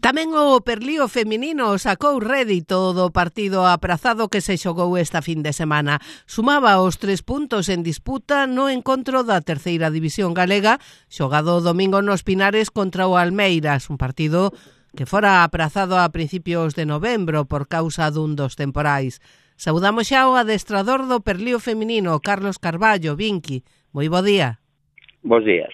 Tamén o Perlío feminino sacou rédito do partido aprazado que se xogou esta fin de semana. Sumaba os 3 puntos en disputa no encontro da terceira división galega, xogado o domingo nos Pinares contra o Almeiras, un partido que fora aprazado a principios de novembro por causa dun dos temporais. Saudamos xa o adestrador do Perlío feminino, Carlos Carballo, Vinqui. Moi bo día. Bos días.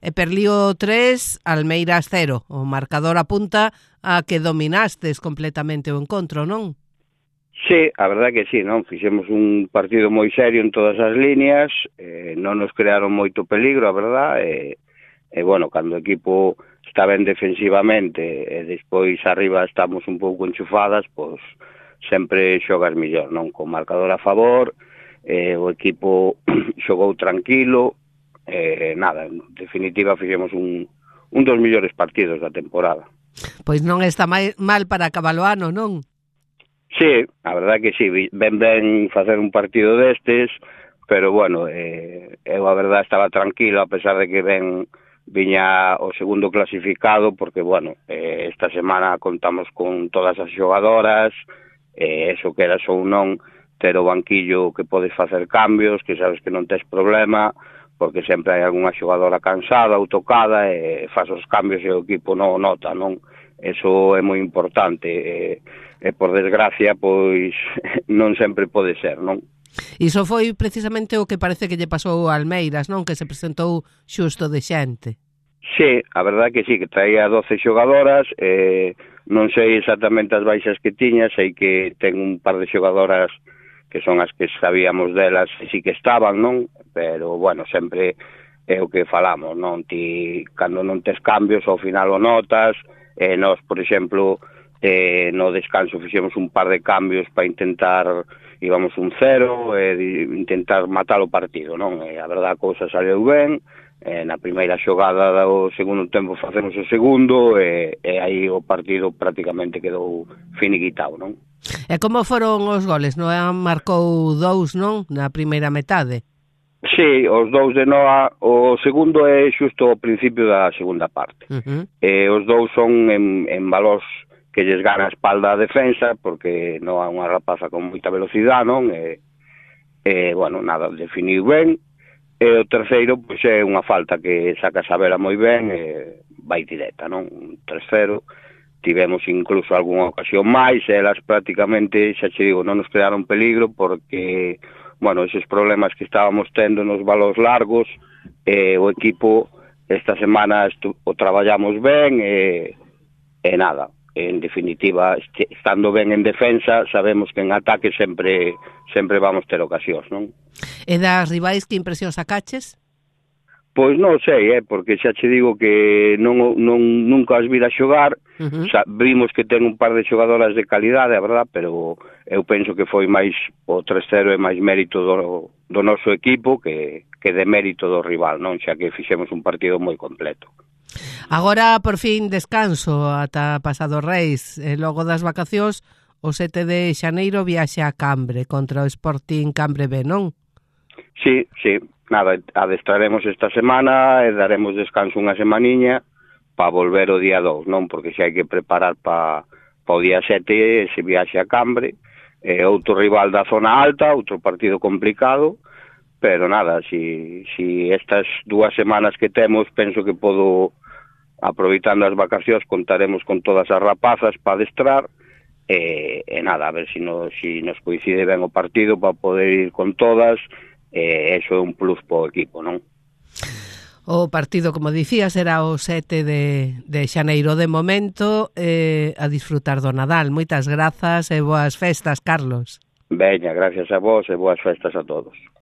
E Perlío 3, Almeiras 0. O marcador apunta a que dominastes completamente o encontro, non? Sí, a verdade que sí, non? Fixemos un partido moi serio en todas as líneas, non nos crearon moito peligro, a verdade, bueno, cando o equipo está ben defensivamente e despois arriba estamos un pouco enchufadas, pois sempre xogas millor, non? Con marcador a favor, o equipo xogou tranquilo, nada, en definitiva fixemos un dos mellores partidos da temporada. Pois non está mal para acabar o ano, non? Sí, a verdade que sí, ben facer un partido destes, pero bueno, eu a verdade estaba tranquilo a pesar de que viña o segundo clasificado, porque bueno, esta semana contamos con todas as xogadoras, eso que era ou non ter o banquillo que podes facer cambios, que sabes que non tes problema, porque sempre hai algunha xogadora cansada ou tocada e faz os cambios e o equipo non o nota, non? Eso é moi importante e por desgracia, pois non sempre pode ser, non? Iso foi precisamente o que parece que lle pasou a Almeiras, non? Que se presentou xusto de xente. Sí, a verdade que sí, que traía 12 xogadoras, non sei exactamente as baixas que tiña, sei que ten un par de xogadoras que son as que sabíamos delas e sí que estaban, non? Pero, bueno, sempre é o que falamos, non? Ti, cando non tes cambios, ao final o notas, nós, por exemplo, no descanso fixemos un par de cambios para intentar, íbamos 1-0, intentar matar o partido, non? A verdade, a cousa saleu ben, na primeira xogada do segundo tempo facemos o segundo, e aí o partido prácticamente quedou finiquitado, non? E como foron os goles? Noa marcou 2, non? Na primeira metade. Sí, os 2 de Noa, o segundo é xusto ao principio da segunda parte. Os 2 son en valós que lles gana a espalda a defensa, porque Noa é unha rapaza con moita velocidade, non? Bueno, nada, definiu ben. E o terceiro, pois é unha falta que saca Sabela moi ben, vai directa, non? 3-0. Tivemos incluso algunha ocasión máis, elas prácticamente, xa che digo, non nos crearon peligro porque, bueno, esos problemas que estábamos tendo nos balós largos, o equipo esta semana o traballamos ben e nada, en definitiva, estando ben en defensa, sabemos que en ataque sempre vamos ter ocasións, non? E das rivais, que impresión sacaches? Pois non sei, porque xa che digo que nunca as vira xogar, vimos que ten un par de xogadoras de calidade, a verdad, pero eu penso que foi máis o 3-0 e máis mérito do noso equipo que de mérito do rival, non? Xa que fixemos un partido moi completo. Agora, por fin, descanso ata pasado Reis, e logo das vacacións, o 7 de xaneiro viaxe a Cambre contra o Sporting Cambre B, non? Sí, nada, adestraremos esta semana e daremos descanso unha semaniña para volver o día 2, non? Porque xa hai que preparar para o día 7 ese viaxe a Cambre, outro rival da zona alta, outro partido complicado, pero nada, si estas 2 semanas que temos, penso que podo, aproveitando as vacacións, contaremos con todas as rapazas para adestrar, e nada, a ver si nos coincide ben o partido para poder ir con todas. Eso é un plus para o equipo, non? O partido, como dicía, será o 7 de xaneiro. De momento, a disfrutar do Nadal. Moitas grazas e boas festas, Carlos. Veña, gracias a vos e boas festas a todos.